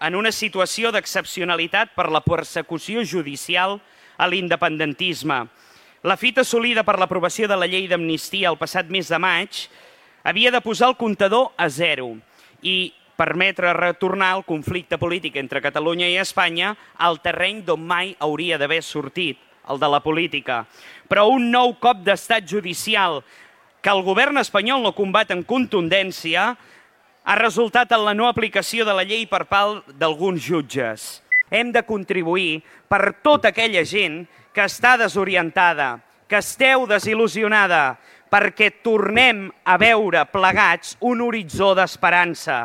en una situació d'excepcionalitat per la persecució judicial a l'independentisme. La fita assolida per l'aprovació de la llei d'amnistia el passat mes de maig havia de posar el comptador a zero i permetre retornar el conflicte polític entre Catalunya i Espanya al terreny d'on mai hauria d'haver sortit, el de la política. Però un nou cop d'estat judicial que el govern espanyol no combat amb contundència ha resultat en la no aplicació de la llei per part d'alguns jutges. Hem de contribuir per tota aquella gent que està desorientada, que esteu desil·lusionada, perquè tornem a veure plegats un horitzó d'esperança.